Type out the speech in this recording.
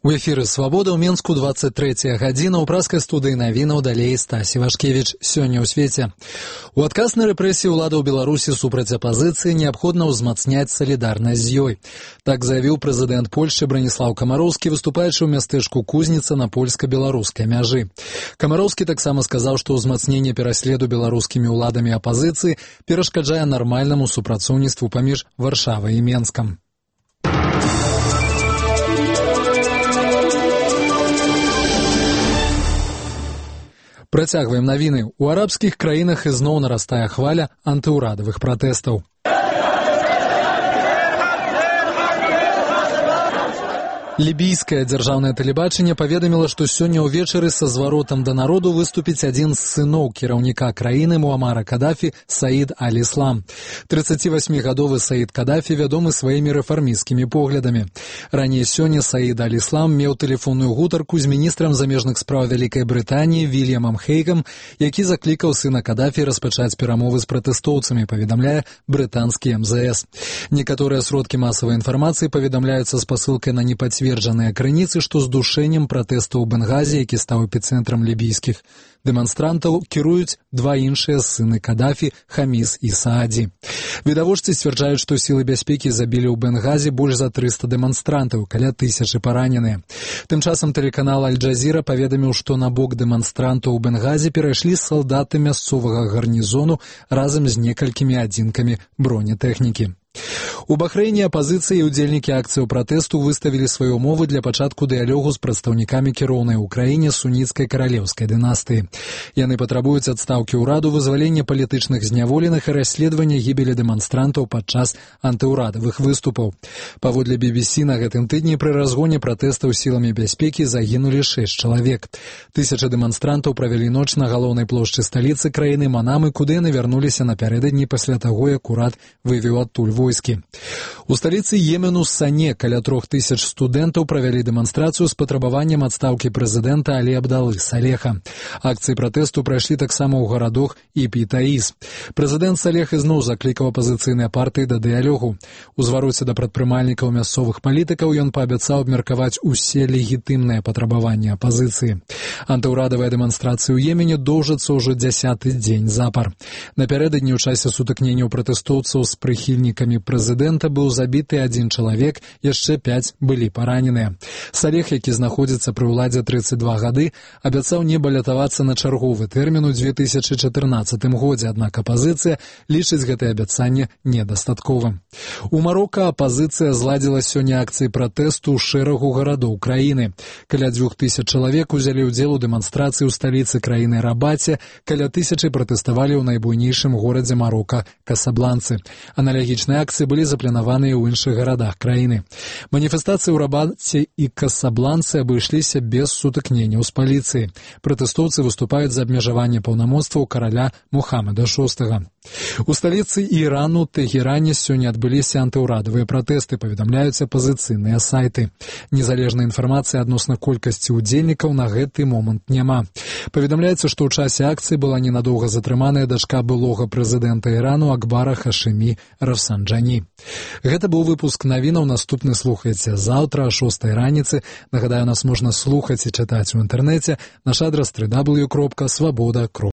У эфіры «Свабода» ў Менску 23 гадзіна. У праскай студыі навінаў далей Стасі Вашкевіч. Сёння ў свеце. У адказ на рэпрэсіі ўладаў Беларусі супраць апазіцыі неабходна ўзмацняць салідарнасць з ёй. Так заявіў прэзідэнт Польшчы Браніслаў Камароўскі, выступаючы ў мястэчку Кузніца на польска-беларускай мяжы. Камароўскі таксама сказаў, што ўзмацненне пераследу беларускімі ўладамі апазіцыі перашкаджае нармальнаму супрацоўніцтву паміж Варшавай і Менскам. Працягваем навіны. У арабскіх краінах ізноў нарастае хваля антыўрадавых пратэстаў. Лібійскае дзяржаўнае тэлебачанне паведаміла, што сёння ўвечары са зваротам да народу выступіць адзін з сыноў кіраўніка краіны Муамара Кадафі Саід Аль-Іслам. 38-гадовы Саід Кадафі вядомы сваімі рэфармісцкімі поглядамі. Раней сёння Саід Аль-Іслам меў тэлефонную гутарку з міністрам замежных спраў Вялікай Брытаніі Вільямам Хейгам, які заклікаў сына Кадафі распачаць перамовы з пратэстоўцамі, паведамляе брытанскі МЗС. Некаторыя сродкі масавай інфармацыі паведамляюцца з пасылкай на непацверджаныя крыніцы, што з душэннем пратэсту ў Бенгазе, які стаў эпіцэнтрам лібійскіх дэманстрантаў, кіруюць два іншыя сыны Кадафі, Хаміс і Сааді. Відавочцы сцвярджаюць, што сілы бяспекі забілі ў Бенгазе больш за 300 дэманстрантаў, каля 1000 параненыя. Тым часам тэлеканал Аль-Джазіра паведаміў, што на бок дэманстрантаў у Бенгазе перайшлі салдаты мясцовага гарнізону разам з некалькімі адзінкамі бронетэхнікі. У Бахрэйне апазіцыя і ўдзельнікі акцыяў пратэсту выставілі свае ўмовы для пачатку дыялогу з прадстаўнікамі кіроўнай у краіне суніцкай каралеўскай дынастыі. Яны патрабуюць адстаўкі ўраду, вызвалення палітычных зняволеных і расследавання гібелі дэманстрантаў падчас антыўрадавых выступаў. Паводле BBC, на гэтым тыдні пры разгоне пратэстаў сіламі бяспекі загінулі 6 чалавек. 1000 дэманстрантаў правялі ноч на галоўнай плошчы сталіцы краіны Манамы, куды яны вярнуліся напярэдадні пасля таго, як урад вывеў адтуль войскі. У сталіцы Йемену Сане каля 3000 студэнтаў правялі дэманстрацыю з патрабаваннем адстаўкі прэзідэнта Алі Абдалы Салеха. Акцыі пратэсту прайшлі таксама ў гарадах Іпі і Таіс. Прэзідэнт Салех ізноў заклікаў апазіцыйныя партыі да дыялогу. У звароце да прадпрымальнікаў мясцовых палітыкаў ён паабяцаў абмеркаваць усе легітымныя патрабаванні апазіцыі. Антыўрадавыя дэманстрацыі ў Йемене доўжацца ўжо 10-й дзень запар. Напярэдадні ў часе сутыкненняў пратэстоўцаў з прыхільнікамі прэзідэнта быў забіты 1 чалавек, яшчэ 5 былі параненыя. Салех, які знаходзіцца пры ўладзе 32 гады, абяцаў не балятавацца на чарговы тэрмін у 2014 годзе, аднак апазіцыя лічыць гэтае абяцанне недастатковым. У Марока апазіцыя зладзіла сёння акцыі пратэсту ў шэрагу гарадоў краіны. Каля 2000 чалавек узялі ўдзел у дэманстрацыі ў сталіцы краіны Рабаце, каля 1000 пратэставалі ў найбуйнейшым горадзе Марока Касабланцы. Аналагічныя акцыі былі запланаваныя ў іншых гарадах краіны. Маніфестацыі ў Рабаце і Касабланцы абышліся без сутыкненняў з паліцыяй. Пратэстоўцы выступаюць за абмежаванне паўнамоцтваў караля Мухаммада VI. У сталіцы Ірану Тэгеране сёння адбыліся антыўрадавыя пратэсты, паведамляюць апазіцыйныя сайты. Незалежнай інфармацыі адносна колькасці ўдзельнікаў на гэты момант няма. Паведамляецца, што ў часе акцыі была ненадоўга затрыманая дачка былога прэзідэнта Ірану Акбара Хашымі Рафсанджані. Гэта быў выпуск навінаў, наступны слухайце заўтра о 6 раніцы. Нагадаю, нас можна слухаць і чытаць у інтэрнэце. Наш адрас www.swaboda.ru.